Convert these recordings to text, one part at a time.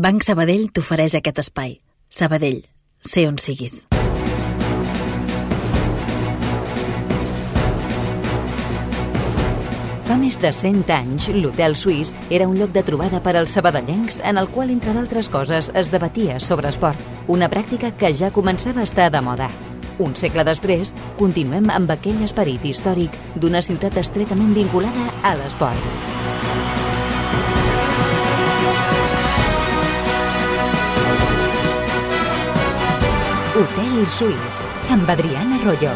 Banc Sabadell t'ofereix aquest espai. Sabadell, sé on siguis. Fa més de 100 anys, l'Hotel Suís era un lloc de trobada per als sabadellencs en el qual, entre d'altres coses, es debatia sobre esport, una pràctica que ja començava a estar de moda. Un segle després, continuem amb aquell esperit històric d'una ciutat estretament vinculada a l'esport. Hotel Suís, amb Adriana Arroyo.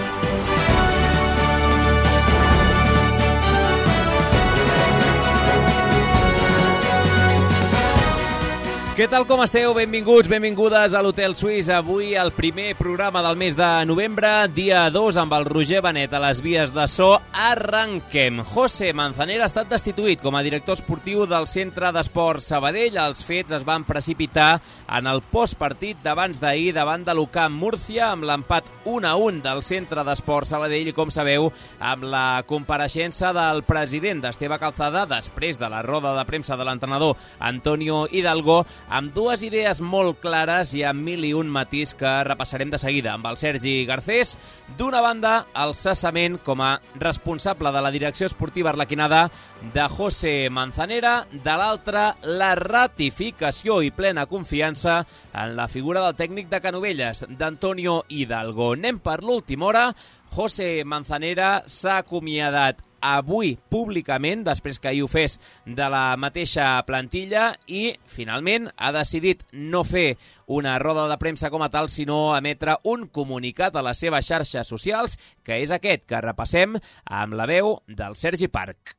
Què tal, com esteu? Benvinguts, benvingudes a l'Hotel Suís. Avui el primer programa del mes de novembre, dia 2, amb el Roger Benet a les vies de so. Arrenquem. José Manzanera ha estat destituït com a director esportiu del Centre d'Esports Sabadell. Els fets es van precipitar en el postpartit d'abans d'ahir davant de l'UCAM Múrcia, amb l'empat 1-1 del Centre d'Esports Sabadell i, com sabeu, amb la compareixença del president d'Esteve Calzada després de la roda de premsa de l'entrenador Antonio Hidalgo, amb dues idees molt clares i amb 1001 matís que repassarem de seguida. Amb el Sergi Garcés, d'una banda, el cessament com a responsable de la direcció esportiva arlequinada de José Manzanera, de l'altra, la ratificació i plena confiança en la figura del tècnic de Canovelles, d'Antonio Hidalgo. Anem per l'última hora. José Manzanera s'ha acomiadat avui públicament, després que ahir ho fes, de la mateixa plantilla i, finalment, ha decidit no fer una roda de premsa com a tal, sinó emetre un comunicat a les seves xarxes socials, que és aquest que repassem amb la veu del Sergi Parc.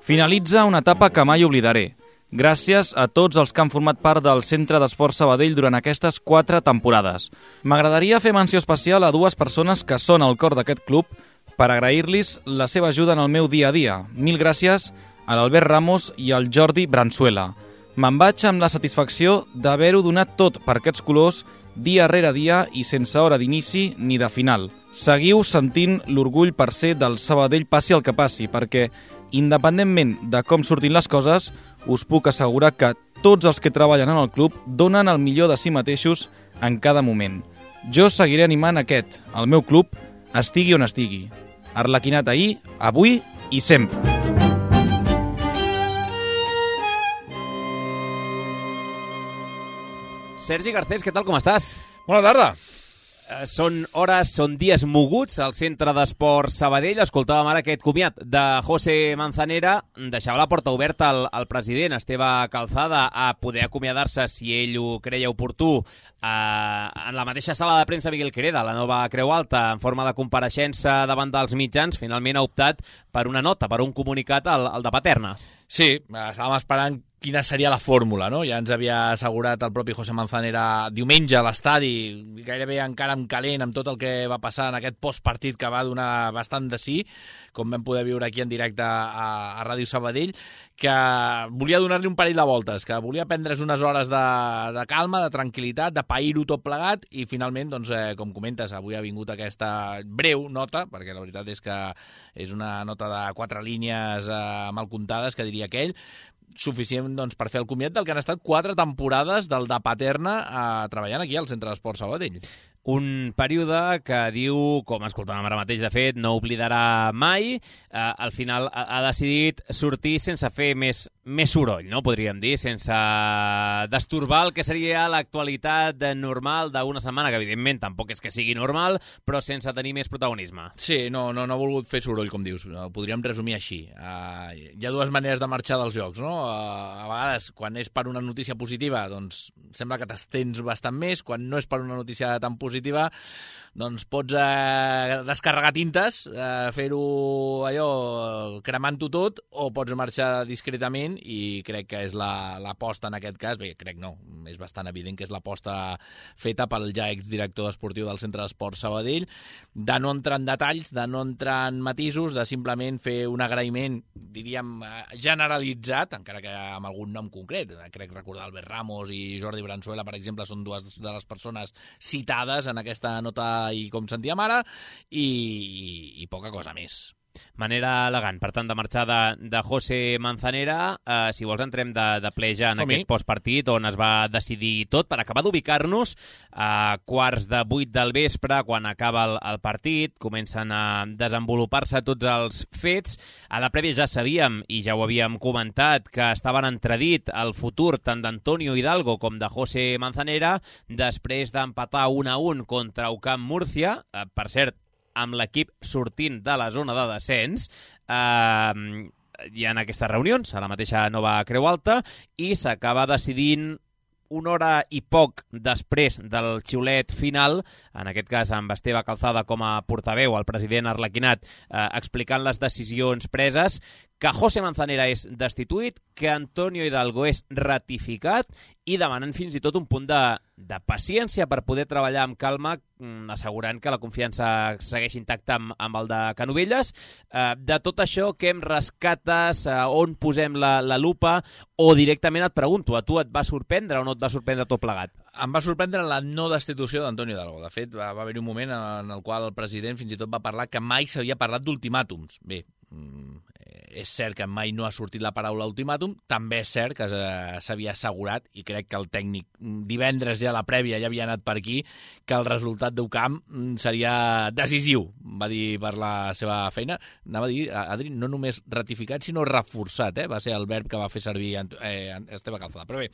Finalitza una etapa que mai oblidaré. Gràcies a tots els que han format part del Centre d'Esports Sabadell durant aquestes 4 temporades. M'agradaria fer menció especial a dues persones que són al cor d'aquest club per agrair-los la seva ajuda en el meu dia a dia. Mil gràcies a l'Albert Ramos i al Jordi Bransuela. Me'n vaig amb la satisfacció d'haver-ho donat tot per aquests colors dia rere dia i sense hora d'inici ni de final. Seguiu sentint l'orgull per ser del Sabadell passi el que passi, perquè independentment de com surtin les coses, us puc assegurar que tots els que treballen en el club donen el millor de si mateixos en cada moment. Jo seguiré animant aquest, el meu club, estigui on estigui. Arlequinat ahir, avui i sempre. Sergi Garcés, què tal, com estàs? Bona tarda. Són dies moguts al Centre d'Esports Sabadell. Escoltàvem ara aquest comiat de José Manzanera. Deixava la porta oberta al president Esteve Calzada a poder acomiadar-se, si ell ho creia oportú, en la mateixa sala de premsa Miguel Quereda, la nova Creu Alta, en forma de compareixença davant dels mitjans. Finalment ha optat per una nota, per un comunicat al de Paterna. Sí, estàvem esperant quina seria la fórmula, no? Ja ens havia assegurat el propi José Manzanera diumenge a l'estadi, gairebé encara en calent amb tot el que va passar en aquest postpartit que va donar bastant de sí, com vam poder viure aquí en directe a Ràdio Sabadell, que volia donar-li un parell de voltes, que volia prendre's unes hores de calma, de tranquil·litat, de pair-ho tot plegat, i finalment, doncs, com comentes, avui ha vingut aquesta breu nota, perquè la veritat és que és una nota de 4 línies mal comptades, que diria aquell, suficient, doncs, per fer el comiat del que han estat 4 temporades del de Paterna treballant aquí al Centre d'Esports Sabadell. Un període que diu, com escoltàvem ara mateix, de fet, no oblidarà mai. Al final ha decidit sortir sense fer més soroll, no? Podríem dir, sense destorbar el que seria l'actualitat normal d'una setmana, que evidentment tampoc és que sigui normal, però sense tenir més protagonisme. Sí, no ha volgut fer soroll, com dius. Podríem resumir així. Hi ha dues maneres de marxar dels jocs, no? A vegades, quan és per una notícia positiva, doncs sembla que t'estens bastant més. Quan no és per una notícia tan positiva, doncs pots descarregar tintes, fer-ho allò cremant-ho tot, o pots marxar discretament, i crec que és l'aposta en aquest cas. Bé, crec no, és bastant evident que és l'aposta feta pel ja exdirector esportiu del Centre d'Esports Sabadell, de no entrar en detalls, de no entrar en matisos, de simplement fer un agraïment, diríem, generalitzat, encara que amb algun nom concret. Crec recordar Albert Ramos i Jordi Bransuela, per exemple, són dues de les persones citades en aquesta nota, i com sentíem ara, i poca cosa més. manera elegant, per tant, de marxar de José Manzanera. Si vols, entrem de ple ja en aquest postpartit, on es va decidir tot, per acabar d'ubicar-nos a 7:45 del vespre, quan acaba el partit, comencen a desenvolupar-se tots els fets. A la prèvia ja sabíem, i ja ho havíem comentat, que estaven entredit el futur tant d'Antonio Hidalgo com de José Manzanera, després d'empatar 1-1 contra UCAM Múrcia, per cert, amb l'equip sortint de la zona de descens. Hi ha aquestes reunions a la mateixa Nova Creu Alta i s'acaba decidint una hora i poc després del xiulet final, en aquest cas amb Esteve Calzada com a portaveu, el president Arlequinat, explicant les decisions preses, que José Manzanera és destituït, que Antonio Hidalgo és ratificat i demanant fins i tot un punt de paciència per poder treballar amb calma, assegurant que la confiança segueix intacta amb el de Canovelles. De tot això, què em rescates? On posem la lupa? O directament et pregunto, a tu et va sorprendre o no et va sorprendre tot plegat? Em va sorprendre la no destitució d'Antonio Hidalgo. De fet, va haver-hi un moment en el qual el president fins i tot va parlar que mai s'havia parlat d'ultimàtums. Bé, és cert que mai no ha sortit la paraula ultimàtum, també és cert que s'havia assegurat, i crec que el tècnic divendres ja a la prèvia ja havia anat per aquí, que el resultat d'UCAM seria decisiu, va dir per la seva feina. Anava a dir, Adri, no només ratificat, sinó reforçat, va ser el verb que va fer servir Esteve Calzada. Però bé,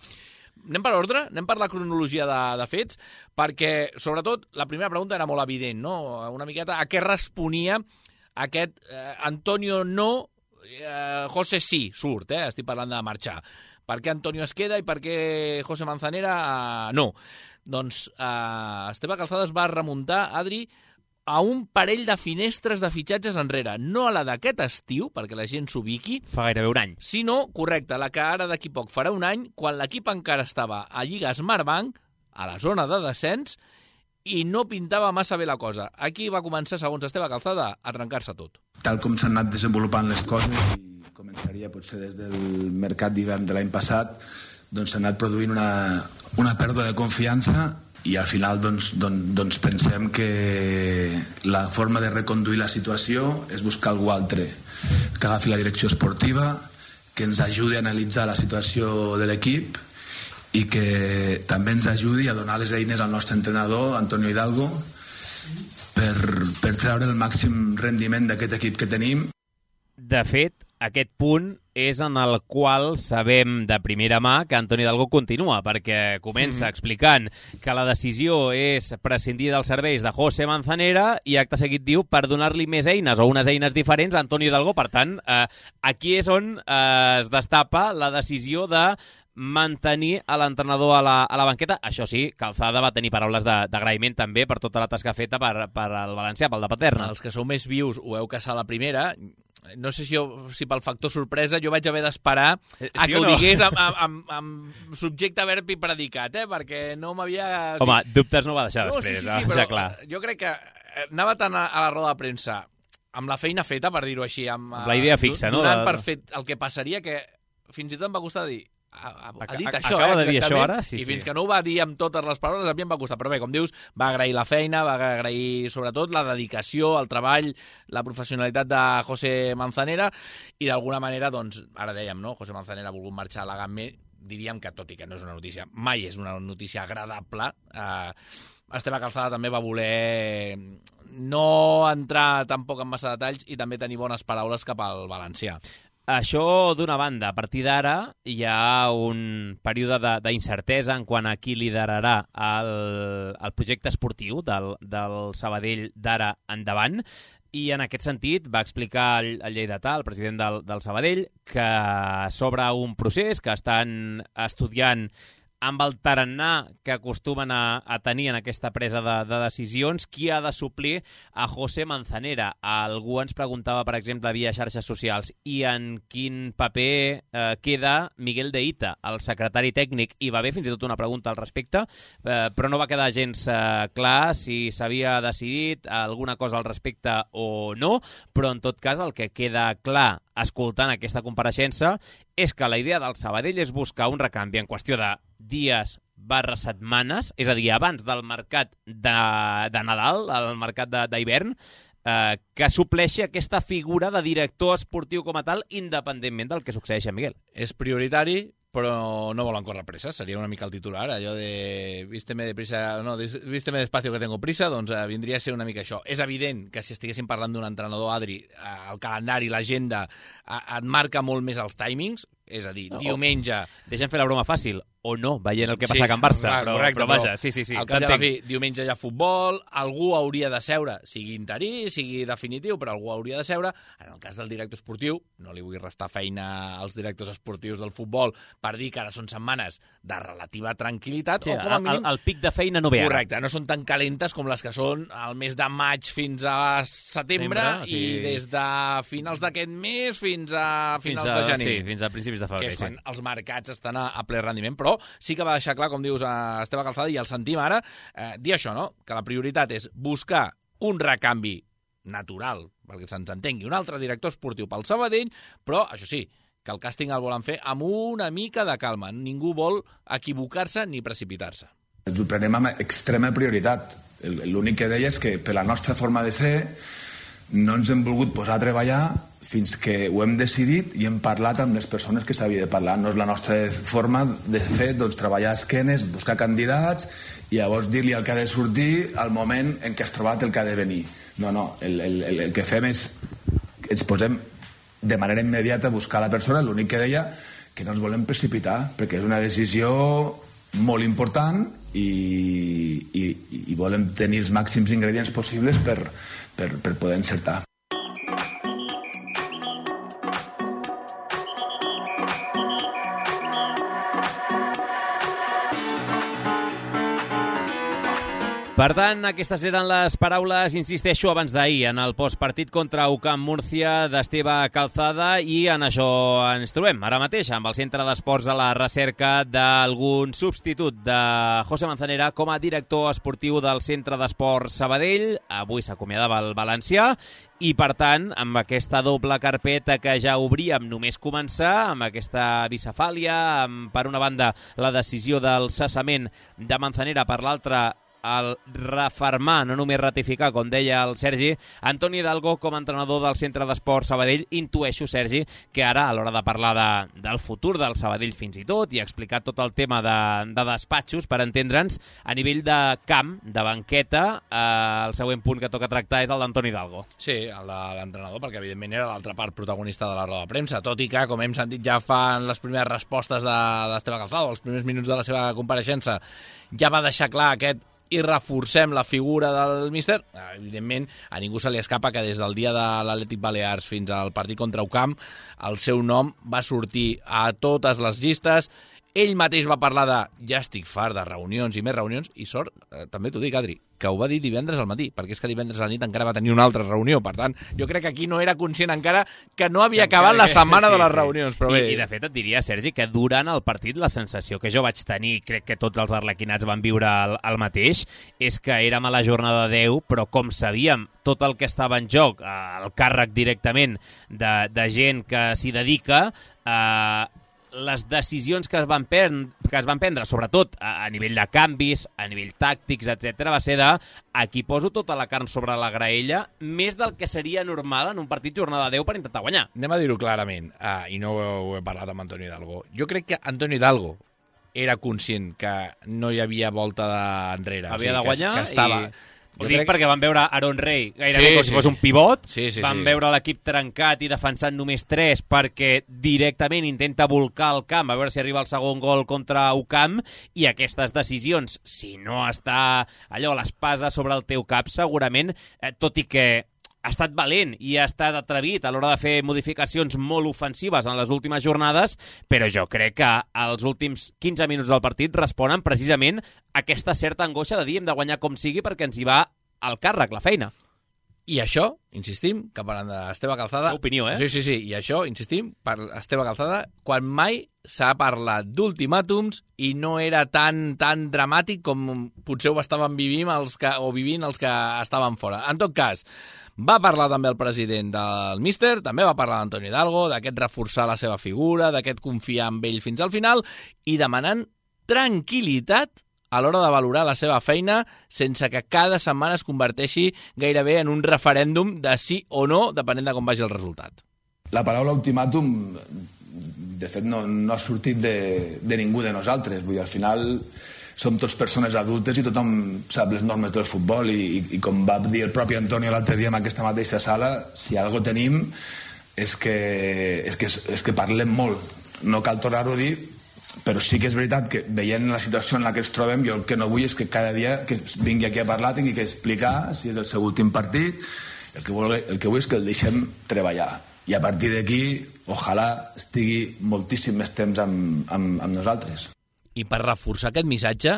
anem per ordre, anem per la cronologia de fets, perquè, sobretot, la primera pregunta era molt evident, no? Una miqueta a què responia aquest Antonio no, José sí, surt, estic parlant de marxar. Per què Antonio es queda i per què José Manzanera no? Doncs Esteve Calzada es va remuntar, Adri, a un parell de finestres de fitxatges enrere. No a la d'aquest estiu, perquè la gent s'ubiqui. Fa gairebé un any. Sinó, correcte, la que ara d'aquí poc farà un any, quan l'equip encara estava a Lliga Smartbank, a la zona de descens, i no pintava massa bé la cosa. Aquí va començar, segons Esteve Calzada, a trencar-se tot. Tal com s'han anat desenvolupant les coses, i començaria potser des del mercat d'hivern de l'any passat, doncs s'ha anat produint una pèrdua de confiança i al final doncs pensem que la forma de reconduir la situació és buscar algú altre que agafi la direcció esportiva, que ens ajudi a analitzar la situació de l'equip i que també ens ajudi a donar les eines al nostre entrenador, Antonio Hidalgo, per treure el màxim rendiment d'aquest equip que tenim. De fet, aquest punt és en el qual sabem de primera mà que Antonio Hidalgo continua, perquè comença explicant que la decisió és prescindir dels serveis de José Manzanera i acte seguit diu per donar-li més eines o unes eines diferents a Antonio Hidalgo. Per tant, aquí és on es destapa la decisió de mantenir a l'entrenador a la banqueta. Això sí, Calzada va tenir paraules d'agraïment també per tota la tasca feta per el valencià, pel de Paterna. Els que sou més vius ho heu caçat a la primera. No sé si pel factor sorpresa jo vaig haver d'esperar a que ho digués amb subjecte, verb i predicat, perquè no m'havia... Home, dubtes no va deixar després, sí, però clar. Jo crec que anava tant a la roda de premsa amb la feina feta, per dir-ho així, amb la idea fixa, no? Donant per fet el que passaria, que fins i tot em va costar dir ha dit això, acaba de dir això ara? Sí, i fins que no ho va dir amb totes les paraules, a mi em va costar. Però bé, com dius, va agrair la feina, va agrair sobretot la dedicació, el treball, la professionalitat de José Manzanera, i d'alguna manera, doncs, ara dèiem, no? José Manzanera ha volgut marxar a la GAME, diríem que, tot i que no és una notícia, mai és una notícia agradable, Esteve Calzada també va voler no entrar tampoc en massa detalls i també tenir bones paraules cap al valencià. Això d'una banda. A partir d'ara hi ha un període d'incertesa en quant a qui liderarà el projecte esportiu del Sabadell d'ara endavant, i en aquest sentit va explicar el lleidatà, el president del Sabadell, que s'obre un procés que estan estudiant amb el tarannà que acostumen a tenir en aquesta presa de decisions, qui ha de suplir a José Manzanera. Algú ens preguntava, per exemple, via xarxes socials, i en quin paper queda Miguel de Ita, el secretari tècnic, i va haver fins i tot una pregunta al respecte, però no va quedar gens clar si s'havia decidit alguna cosa al respecte o no, però en tot cas el que queda clar escoltant aquesta compareixença és que la idea del Sabadell és buscar un recanvi en qüestió de dies/setmanes, és a dir, abans del mercat de Nadal, el mercat d'hivern, que supleixi aquesta figura de director esportiu com a tal, independentment del que succeeixi a Miguel. És prioritari, però no volen córrer pressa, seria una mica el titular, allò de vísteme despacio que tengo prisa, doncs vindria a ser una mica això. És evident que si estiguéssim parlant d'un entrenador, Adri, el calendari, l'agenda, et marca molt més els timings, és a dir, diumenge... Deixa'm fer la broma fàcil, o no, veient el que passa a Can Barça, correcte, però vaja, sí. Al cap de la fi, diumenge hi ha futbol, algú hauria de seure, sigui interí, sigui definitiu, però algú hauria de seure. En el cas del director esportiu, no li vull restar feina als directors esportius del futbol per dir que ara són setmanes de relativa tranquil·litat, o com a mínim... El pic de feina no ve ara. Correcte, no són tan calentes com les que són al mes de maig fins a setembre i des de finals d'aquest mes fins a finals de gener. Sí, fins a principis de febrer. Que és quan els mercats estan a ple rendiment, però sí que va deixar clar, com dius, a Esteve Calzada, i el sentim ara, dir això, no? Que la prioritat és buscar un recanvi natural, perquè se'ns entengui, un altre director esportiu pel Sabadell, però, això sí, que el càsting el volen fer amb una mica de calma. Ningú vol equivocar-se ni precipitar-se. Ens ho prenem amb extrema prioritat. L'únic que deia és que, per la nostra forma de ser, no ens hem volgut posar a treballar fins que ho hem decidit i hem parlat amb les persones que s'havia de parlar. No és la nostra forma de fer, doncs, treballar a esquenes, buscar candidats i llavors dir-li el que ha de sortir al moment en què has trobat el que ha de venir. No, el que fem és ens posem de manera immediata a buscar la persona. L'únic que deia que no ens volem precipitar, perquè és una decisió molt important i volem tenir els màxims ingredients possibles per poder encertar. Per tant, aquestes eren les paraules, insisteixo, abans d'ahir, en el postpartit contra UCAM Múrcia d'Esteve Calzada, i en això ens trobem ara mateix, amb el Centre d'Esports a la recerca d'algun substitut de José Manzanera com a director esportiu del Centre d'Esports Sabadell. Avui s'acomiadava el valencià i, per tant, amb aquesta doble carpeta que ja obríem només començar, amb aquesta bicefàlia, amb, per una banda, la decisió del cessament de Manzanera, per l'altra, el refermar, no només ratificar, com deia el Sergi, Antoni Hidalgo com a entrenador del Centre d'Esports Sabadell. Intueixo, Sergi, que ara, a l'hora de parlar del futur del Sabadell fins i tot, i explicar tot el tema de despatxos, per entendre'ns, a nivell de camp, de banqueta, el següent punt que toca tractar és el d'Antoni Hidalgo. Sí, el de l'entrenador, perquè evidentment era l'altra part protagonista de la roda de premsa, tot i que, com hem sentit ja fan les primeres respostes d'Esteve Calzada, els primers minuts de la seva compareixença, ja va deixar clar aquest i reforcem la figura del míster. Evidentment, a ningú se li escapa que des del dia de l'Atlètic Balears fins al partit contra UCAM, el seu nom va sortir a totes les llistes. Ell mateix va parlar de ja estic fart de reunions i més reunions, i sort, també t'ho dic, Adri, que ho va dir divendres al matí, perquè és que divendres a la nit encara va tenir una altra reunió. Per tant, jo crec que aquí no era conscient encara que no havia acabat la setmana de les reunions. Però bé. I de fet et diria, Sergi, que durant el partit la sensació que jo vaig tenir, crec que tots els arlequinats van viure el mateix, és que érem a la jornada 10, però com sabíem tot el que estava en joc, el càrrec directament de gent que s'hi dedica, les decisions que es van prendre, sobretot a nivell de canvis, a nivell tàctics, etc., va ser de aquí poso tota la carn sobre la graella, més del que seria normal en un partit jornada 10 per intentar guanyar. Anem a dir-ho clarament, i no ho he parlat amb Antoni Hidalgo. Jo crec que Antoni Hidalgo era conscient que no hi havia volta enrere. Havia de guanyar que estava... Ho dic perquè van veure Aaron Rey gairebé com si fos un pivot, van veure l'equip trencat i defensant només 3 perquè directament intenta volcar el camp, a veure si arriba el segon gol contra UCAM, i aquestes decisions, si no està allò, l'espasa sobre el teu cap, segurament, tot i que ha estat valent i ha estat atrevit a l'hora de fer modificacions molt ofensives en les últimes jornades, però jo crec que els últims 15 minuts del partit responen precisament a aquesta certa angoixa de dir hem de guanyar com sigui perquè ens hi va el càrrec, la feina. I això, insistim, que parlant d'Esteve Calzada... Opinió, Sí, i això, insistim, per Esteve Calzada, quan mai s'ha parlat d'ultimàtums i no era tan dramàtic com potser ho estaven vivint els que estaven fora. En tot cas, va parlar també el president del míster, també va parlar d'Antoni Hidalgo, d'aquest reforçar la seva figura, d'aquest confiar en ell fins al final, i demanant tranquil·litat a l'hora de valorar la seva feina sense que cada setmana es converteixi gairebé en un referèndum de sí o no, depenent de com vagi el resultat. La paraula ultimàtum, de fet, no ha sortit de ningú de nosaltres. Vull dir, al final som tots persones adultes i tothom sap les normes del futbol i com va dir el propi Antonio l'altre dia en aquesta mateixa sala, si alguna cosa tenim és que parlem molt. No cal tornar-ho a dir, però sí que és veritat que veient la situació en la que ens trobem, jo el que no vull és que cada dia que vingui aquí a parlar tingui que explicar si és el seu últim partit. El que vull és que el deixem treballar i a partir d'aquí ojalà estigui moltíssim més temps amb nosaltres. I per reforçar aquest missatge,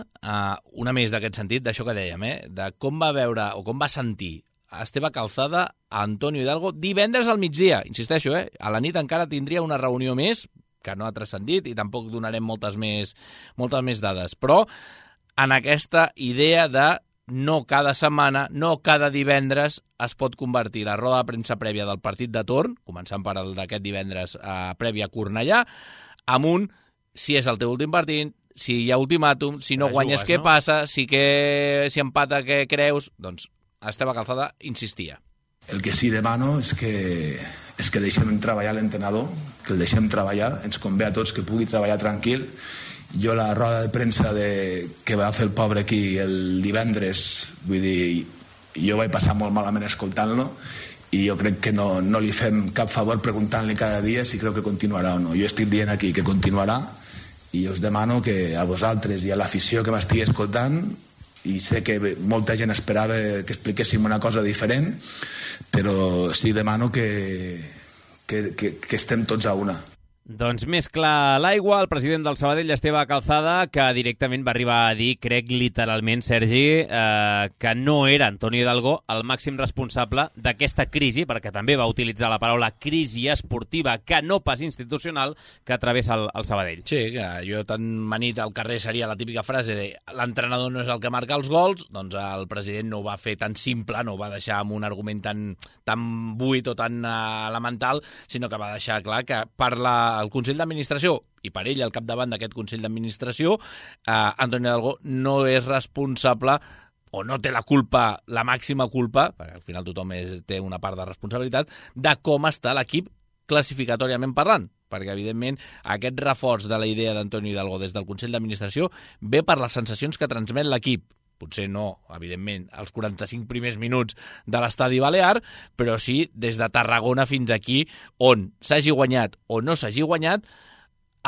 una més d'aquest sentit, d'això que dèiem, de com va veure o com va sentir Esteve Calzada a Antonio Hidalgo divendres al migdia. Insisteixo, a la nit encara tindria una reunió més que no ha transcendit i tampoc donarem moltes més dades. Però en aquesta idea de no cada setmana, no cada divendres es pot convertir la roda de premsa prèvia del partit de torn, començant per el d'aquest divendres prèvia a Cornellà, amb si és el teu últim partit, si hi ha ultimàtum, si no guanyes què passa, si empata què creus, doncs Esteve Calzada insistia. El que sí demano és que deixem treballar l'entrenador, que el deixem treballar, ens convé a tots que pugui treballar tranquil. Jo la roda de premsa que va fer el pobre aquí el divendres, vull dir, jo vaig passar molt malament escoltant-lo i jo crec que no li fem cap favor preguntant-li cada dia si creu que continuarà o no. Jo estic dient aquí que continuarà i us demano que a vosaltres i a l'afició que m'estigui escoltant, i sé que molta gent esperava que expliquéssim una cosa diferent, però sí demano que estem tots a una. Doncs més clar l'aigua, el president del Sabadell, Esteve Calzada, que directament va arribar a dir, crec literalment, Sergi, que no era Antonio Hidalgo el màxim responsable d'aquesta crisi, perquè també va utilitzar la paraula crisi esportiva, que no pas institucional, que travessa el Sabadell. Sí, que jo tan manit al carrer seria la típica frase de l'entrenador no és el que marca els gols, doncs el president no ho va fer tan simple, no ho va deixar amb un argument tan buit o tan elemental, sinó que va deixar clar que el Consell d'Administració, i per ell al capdavant d'aquest Consell d'Administració, Antonio Hidalgo no és responsable o no té la culpa, la màxima culpa, perquè al final tothom té una part de responsabilitat, de com està l'equip classificatòriament parlant. Perquè, evidentment, aquest reforç de la idea d'Antonio Hidalgo des del Consell d'Administració ve per les sensacions que transmet l'equip. Potser no, evidentment, els 45 primers minuts de l'estadi balear, però sí des de Tarragona fins aquí, on s'hagi guanyat o no s'hagi guanyat,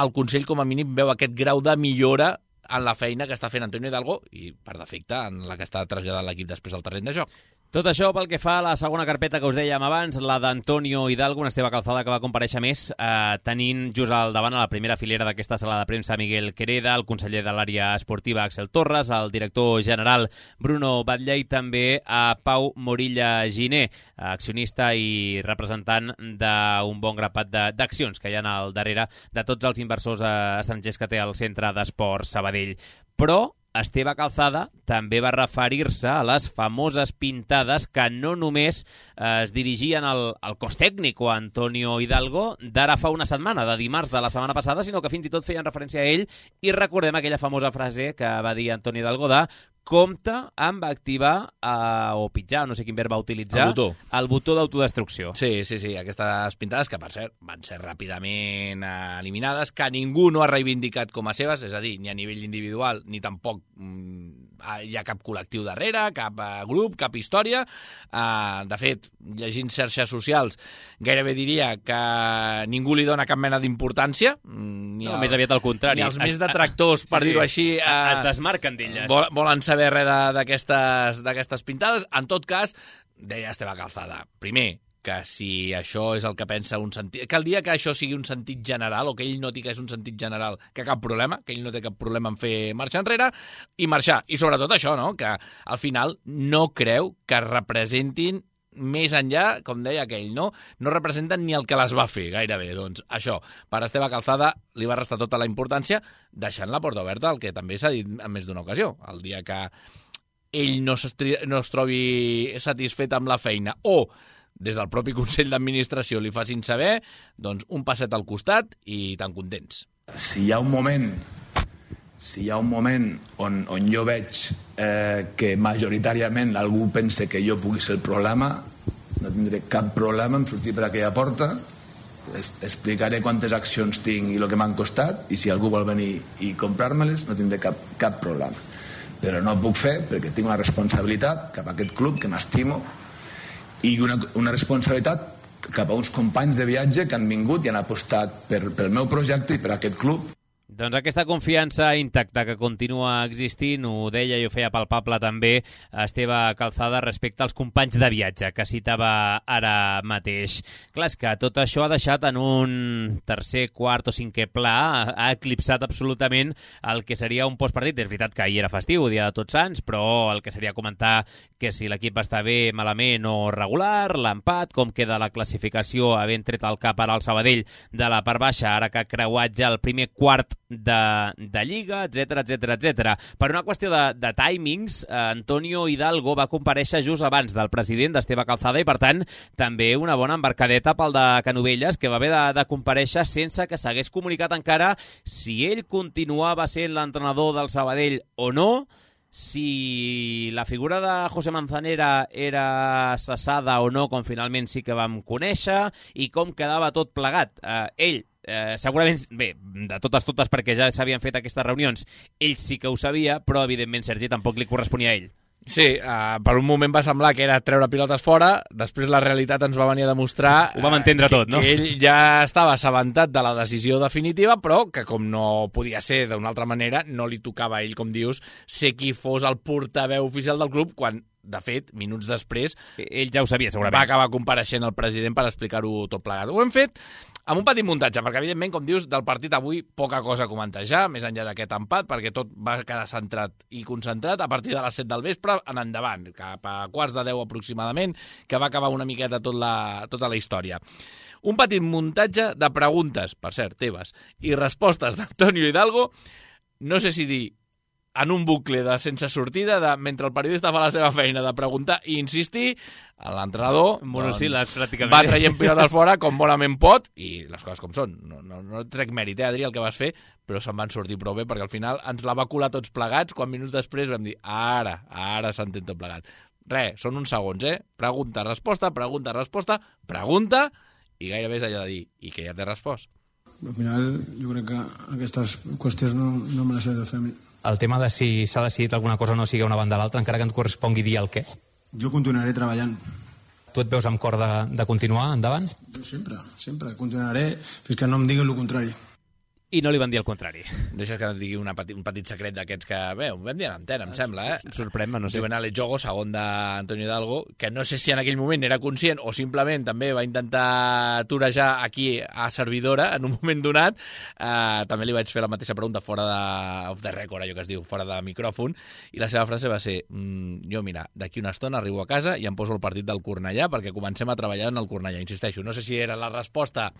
el Consell com a mínim veu aquest grau de millora en la feina que està fent Antonio Hidalgo i, per defecte, en la que està traslladant l'equip després al terreny de joc. Tot això pel que fa a la segona carpeta que us dèiem abans, la d'Antonio Hidalgo, un Esteve Calzada que va comparèixer més, tenint just al davant a la primera filera d'aquesta sala de premsa Miguel Quereda, el conseller de l'àrea esportiva Axel Torres, el director general Bruno Batlle i també a Pau Morilla Giner, accionista i representant d'un bon grapat d'accions que hi ha al darrere de tots els inversors estrangers que té el Centre d'Esports Sabadell. Però Esteve Calzada també va referir-se a les famoses pintades que no només es dirigien al cos tècnic o a Antonio Hidalgo d'ara fa una setmana, de dimarts de la setmana passada, sinó que fins i tot feien referència a ell i recordem aquella famosa frase que va dir Antonio Hidalgo de compte amb activar o pitjar, no sé quin verb va utilitzar, el botó d'autodestrucció. Sí, aquestes pintades que, per cert, van ser ràpidament eliminades, que ningú no ha reivindicat com a seves, és a dir, ni a nivell individual, ni tampoc hi ha cap col·lectiu darrere, cap grup, cap història. De fet, llegint xarxes socials, gairebé diria que ningú li dona cap mena d'importància. Més aviat al contrari. Ni els més detractors, per dir-ho així, es desmarquen d'elles. Volen saber res d'aquestes pintades. En tot cas, deia Esteve Calzada, primer, que si això és el que pensa un sentit... Que el dia que això sigui un sentit general, o que ell noti que és un sentit general, que cap problema, que ell no té cap problema en fer marxar enrere, i marxar. I sobretot això, no?, que al final no creu que representin més enllà, com deia aquell, no representen ni el que les va fer, gairebé. Doncs això, per Esteve Calzada li va restar tota la importància, deixant la porta oberta, el que també s'ha dit en més d'una ocasió. El dia que ell no es trobi satisfet amb la feina, o des del propi Consell d'Administració li facin saber, doncs un passet al costat i tan contents. Si hi ha un moment si hi ha un moment on jo veig que majoritàriament algú pensa que jo pugui ser el problema, no tindré cap problema en sortir per aquella porta, explicaré quantes accions tinc i el que m'han costat, i si algú vol venir i comprar-me-les no tindré cap problema. Però no ho puc fer perquè tinc una responsabilitat cap a aquest club que m'estimo i una responsabilitat cap a uns companys de viatge que han vingut i han apostat pel meu projecte i per aquest club. Doncs aquesta confiança intacta que continua existint, ho deia i ho feia palpable també Esteve Calzada respecte als companys de viatge que citava ara mateix. Clar, és que tot això ha deixat en un tercer, quart o cinquè pla, ha eclipsat absolutament el que seria un postpartit. És veritat que ahir era festiu, dia de Tots Sants, però el que seria comentar que si l'equip està bé, malament o regular, l'empat, com queda la classificació, havent tret el cap ara al Sabadell de la part baixa, ara que ha creuat ja el primer quart de Lliga, etc. Per una qüestió de timings, Antonio Hidalgo va comparèixer just abans del president d'Esteve Calzada i, per tant, també una bona embarcadeta pel de Canovelles, que va haver de comparèixer sense que s'hagués comunicat encara si ell continuava sent l'entrenador del Sabadell o no, si la figura de José Manzanera era cessada o no, com finalment sí que vam conèixer, i com quedava tot plegat. Ell, segurament, bé, de totes, perquè ja s'havien fet aquestes reunions, ell sí que ho sabia, però evidentment, Sergi, tampoc li corresponia a ell. Sí, per un moment va semblar que era treure pilotes fora, després la realitat ens va venir a demostrar ho vam entendre tot, no? Que ell ja estava assabentat de la decisió definitiva, però que com no podia ser d'una altra manera, no li tocava a ell, com dius, ser qui fos el portaveu oficial del club, quan, de fet, minuts després, ell ja ho sabia, segurament. Va acabar compareixent el president per explicar-ho tot plegat. Ho hem fet amb un petit muntatge, perquè, evidentment, com dius, del partit avui poca cosa a comentejar, més enllà d'aquest empat, perquè tot va quedar centrat i concentrat a partir de les 7 del vespre en endavant, cap a 9:15 aproximadament, que va acabar una miqueta tota la història. Un petit muntatge de preguntes, per cert, teves, i respostes d'Antonio Hidalgo, no sé si dir en un bucle de sense sortida, mentre el periodista fa la seva feina de preguntar i insistir, l'entrenador monosíl·labs, pràcticament, va traient pilotes fora com bonament pot, i les coses com són. No trec mèrit, Adri, el que vas fer, però se'n van sortir prou bé, perquè al final ens la va colar tots plegats, quan minuts després vam dir, ara s'entén tot plegat. Són uns segons, Pregunta, resposta, pregunta, i gairebé és allò de dir, i que ja t'he respost. Al final, jo crec que aquestes qüestions no me les he de fer a mi. El tema de si s'ha decidit alguna cosa o no sigui una banda a l'altra, encara que et correspongui dir el què? Jo continuaré treballant. Tu et veus amb cor de continuar endavant? Jo sempre continuaré fins que no em diguin el contrari. I no li van dir el contrari. Deixes que et digui un petit secret d'aquests que, bé, ho vam dir en antena, em sembla, Sorprèn-me, no sé. Diuen Alex Jogo, segon d'Antonio Hidalgo, que no sé si en aquell moment era conscient o simplement també va intentar torejar aquí a servidora en un moment donat. També li vaig fer la mateixa pregunta fora of the record, allò que es diu, fora de micròfon, i la seva frase va ser, jo, mira, d'aquí una estona arribo a casa i em poso el partit del Cornellà perquè comencem a treballar en el Cornellà. Insisteixo, no sé si era la resposta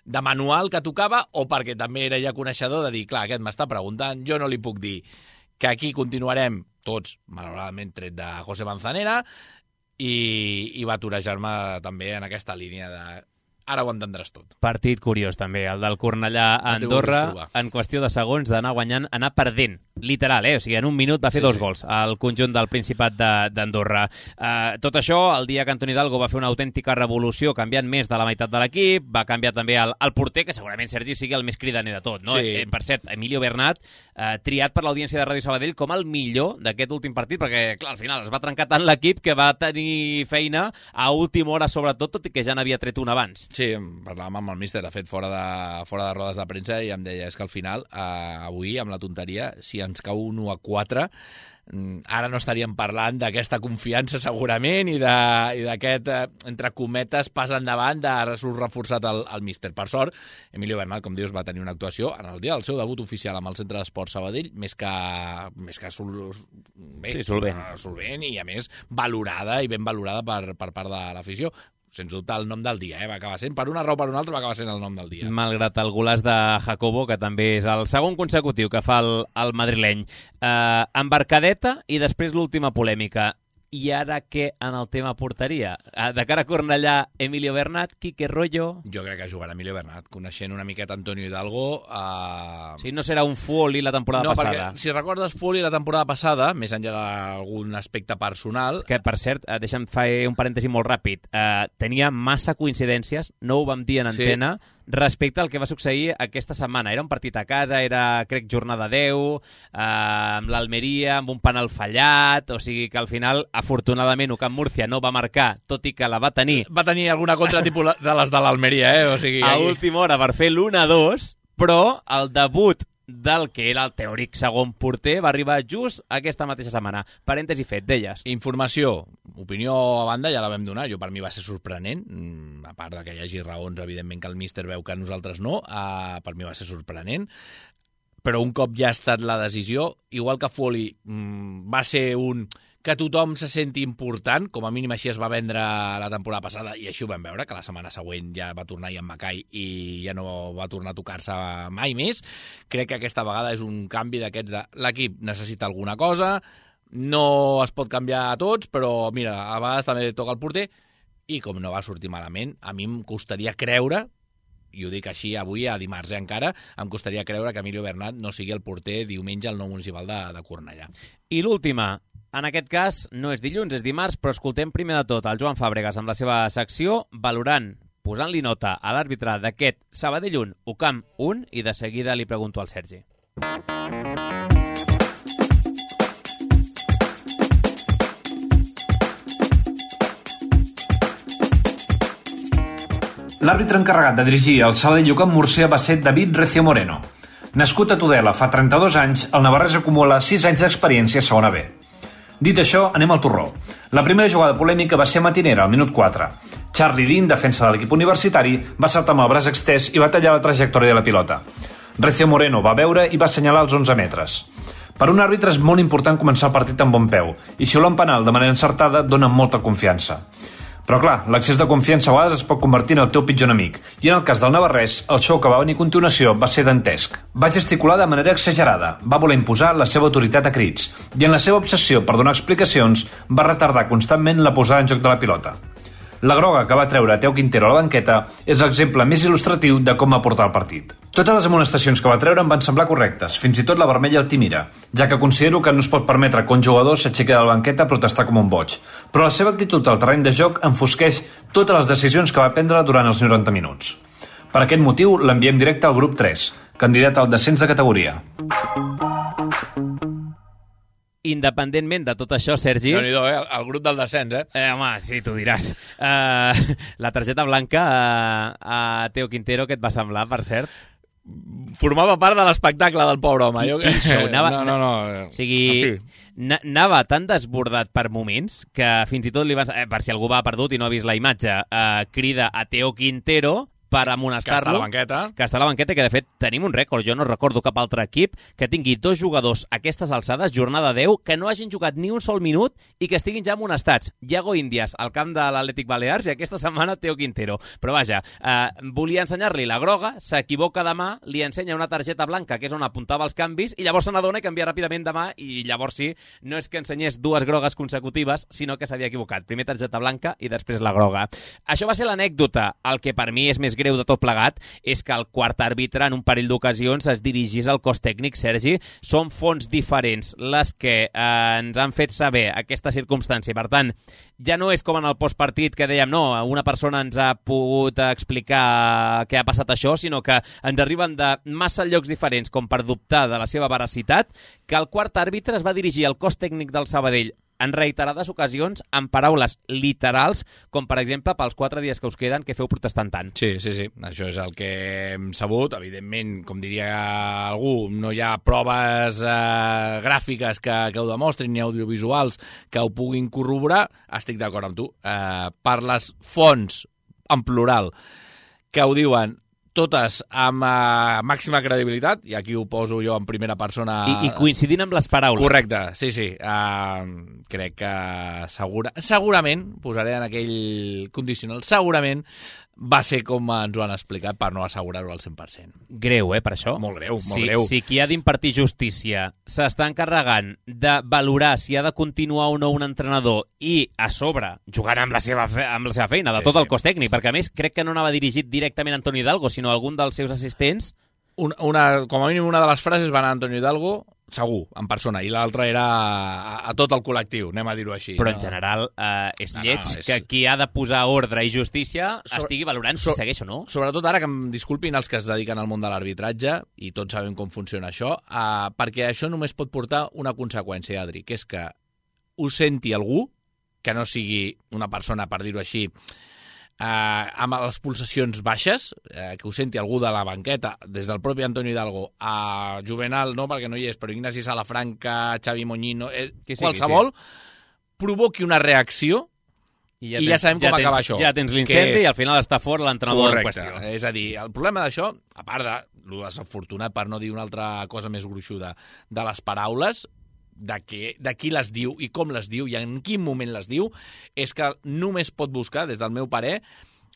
de manual que tocava o perquè també era ja coneixedor de dir, clar, aquest m'està preguntant, jo no li puc dir que aquí continuarem tots, malauradament tret de José Manzanera, i va torejar-me també en aquesta línia de ara ho entendràs tot. Partit curiós també, el del Cornellà a Andorra, en qüestió de segons d'anar guanyant, anar perdent, literal, o sigui, en un minut va fer dos gols al conjunt del Principat d'Andorra. Tot això, el dia que Antoni Hidalgo va fer una autèntica revolució, canviant més de la meitat de l'equip, va canviar també el porter, que segurament, Sergi, sigui el més cridaner de tot, no? Sí. Per cert, Emilio Bernat, triat per l'audiència de Ràdio Sabadell com el millor d'aquest últim partit, perquè, clar, al final es va trencar tant l'equip que va tenir feina a última hora, sobretot, tot i que ja n'havia tret un abans. Sí, parlàvem amb el míster, de fet, fora de rodes de premsa, i em deia, és que al final, avui, amb la tonteria, si ens cau un 1-4, ara no estaríem parlant d'aquesta confiança segurament i d'aquest, entre cometes, pas endavant de surt reforçat el míster. Per sort, Emilio Bernat, com dius, va tenir una actuació en el dia del seu debut oficial amb el Centre d'Esports Sabadell més que solvent i, a més, valorada i ben valorada per part de l'afició. Sens dubte el nom del dia, va acabar sent, per una raó o per una altra, va acabar sent el nom del dia. Malgrat el golaç de Jacobo, que també és el segon consecutiu que fa el madrileny. Embarcadeta i després l'última polèmica. I ara què en el tema porteria? De cara a Cornellà, Emilio Bernat, Quique Rollo... Jo crec que jugarà Emilio Bernat, coneixent una miqueta Antonio Hidalgo. Sí, no serà un Foley la temporada passada. No, perquè si recordes Foley la temporada passada, més enllà d'algun aspecte personal... Que, per cert, deixa'm fer un parèntesi molt ràpid, tenia massa coincidències, no ho vam dir en antena, respecte al que va succeir aquesta setmana. Era un partit a casa, era, crec, jornada 10, amb l'Almeria, amb un penal fallat, o sigui que al final, afortunadament, Camp Múrcia no va marcar, tot i que la va tenir... Va tenir alguna contra tipus de les de l'Almeria, O sigui, a última hora per fer l'1-2, però el debut del que era el teòric segon porter va arribar just aquesta mateixa setmana. Parèntesi fet, deies. Informació, opinió a banda, ja la vam donar. Jo, per mi va ser sorprenent, a part que hi hagi raons, evidentment, que el míster veu que nosaltres no, per mi va ser sorprenent. Però un cop ja ha estat la decisió, igual que Foley va ser un... que tothom se senti important, com a mínim així es va vendre la temporada passada, i així ho vam veure, que la setmana següent ja va tornar Ian Mackay i ja no va tornar a tocar-se mai més. Crec que aquesta vegada és un canvi d'aquests de l'equip necessita alguna cosa, no es pot canviar a tots, però mira, a vegades també toca el porter, i com no va sortir malament, a mi em costaria creure, i ho dic així avui, a dimarts encara, em costaria creure que Emilio Bernat no sigui el porter diumenge al nou municipal de Cornellà. I l'última, en aquest cas no és dilluns, és dimarts, però escoltem primer de tot el Joan Fàbregas amb la seva secció, valorant, posant-li nota a l'àrbitre d'aquest Sabadell 1, UCAM 1, i de seguida li pregunto al Sergi. L'àrbitre encarregat de dirigir el Sabadell UCAM Múrcia va ser David Recio Moreno. Nascut a Tudela fa 32 anys, el navarrès acumula 6 anys d'experiència a segona B. Dit això, anem al torró. La primera jugada polèmica va ser matinera, al minut 4. Charlie Dean, defensa de l'equip universitari, va saltar amb el braç extès i va tallar la trajectòria de la pilota. Recio Moreno va veure i va assenyalar els 11 metres. Per un àrbitre és molt important començar el partit amb bon peu, i xiular un penal de manera encertada dona molta confiança. Però clar, l'excés de confiança a vegades es pot convertir en el teu pitjor enemic, i en el cas del navarrès, el show que va venir a continuació va ser dantesc. Va gesticular de manera exagerada, va voler imposar la seva autoritat a crits, i en la seva obsessió per donar explicacions va retardar constantment la posada en joc de la pilota. La groga que va treure Teo Quintero a la banqueta és l'exemple més il·lustratiu de com va portar el partit. Totes les amonestacions que va treure em van semblar correctes, fins i tot la vermella al Timira, ja que considero que no es pot permetre que un jugador s'aixequi de la banqueta a protestar com un boig. Però la seva actitud al terreny de joc enfosqueix totes les decisions que va prendre durant els 90 minuts. Per aquest motiu l'enviem directe al grup 3, candidat al descens de categoria. Independentment de tot això, Sergi... Déu-n'hi-do, el grup del descens, home, sí, tu diràs. La targeta blanca a Teo Quintero, què et va semblar, per cert? Formava part de l'espectacle del pobre home. No. O sigui, anava tan desbordat per moments que fins i tot li van... per si algú va perdut i no ha vist la imatge, crida a Teo Quintero per amonestar-lo. Que està a la banqueta i que, de fet, tenim un rècord. Jo no recordo cap altre equip que tingui 2 jugadors a aquestes alçades, jornada 10, que no hagin jugat ni un sol minut i que estiguin ja amonestats. Iago Índias, al camp de l'Atlètic Balears, i aquesta setmana Teo Quintero. Però vaja, volia ensenyar-li la groga, s'equivoca de mà, li ensenya una targeta blanca, que és on apuntava els canvis, i llavors se n'adona i canvia ràpidament de mà, i llavors sí, no és que ensenyés 2 grogues consecutives, sinó que s'havia equivocat. Primer targeta blanca i després la groga. Això va ser l'anècdota. El que per mi és més greu de tot plegat és que el quart àrbitre en un parell d'ocasions es dirigís al cos tècnic. Sergi, són fonts diferents les que ens han fet saber aquesta circumstància. Per tant, ja no és com en el postpartit que dèiem, no, una persona ens ha pogut explicar què ha passat això, sinó que ens arriben de massa llocs diferents com per dubtar de la seva veracitat, que el quart àrbitre es va dirigir al cos tècnic del Sabadell en reiterades ocasions amb paraules literals, com per exemple pels 4 dies que us queden que feu protestant tant. Sí. Això és el que hem sabut. Evidentment, com diria algú, no hi ha proves gràfiques que ho demostrin ni audiovisuals que ho puguin corroborar. Estic d'acord amb tu. Per les fonts, en plural, que ho diuen totes amb màxima credibilitat, i aquí ho poso jo en primera persona... I coincidint amb les paraules. Correcte, sí. Crec que segurament, posaré en aquell condicional, segurament va ser com ens ho han explicat per no assegurar-ho al 100%. Greu, per això? Molt greu, molt greu. Si qui ha d'impartir justícia s'està encarregant de valorar si ha de continuar o no un entrenador i, a sobre, jugant amb la seva feina, de tot el cos tècnic, perquè a més crec que no anava dirigit directament a Antonio Hidalgo, sinó a algun dels seus assistents. Com a mínim una de les frases va anar a Antonio Hidalgo, segur, en persona, i l'altra era a tot el col·lectiu, anem a dir-ho així. Però en general és lleig que qui ha de posar ordre i justícia estigui valorant si segueix o no. Sobretot ara que em disculpin els que es dediquen al món de l'arbitratge, i tots sabem com funciona això, perquè això només pot portar una conseqüència, Adri, que és que ho senti algú, que no sigui una persona, per dir-ho així, amb les pulsacions baixes, que ho senti algú de la banqueta, des del propi Antonio Hidalgo a Juvenal, no perquè no hi és, però Ignasi Salafranca, Xavi Moñino, qualsevol, provoqui una reacció i ja sabem com acaba això. Ja tens l'incendi i al final està fort l'entrenador en qüestió. És a dir, el problema d'això, a part de lo desafortunat, per no dir una altra cosa més gruixuda, de les paraules, de qui les diu i com les diu i en quin moment les diu, és que només pot buscar, des del meu parer,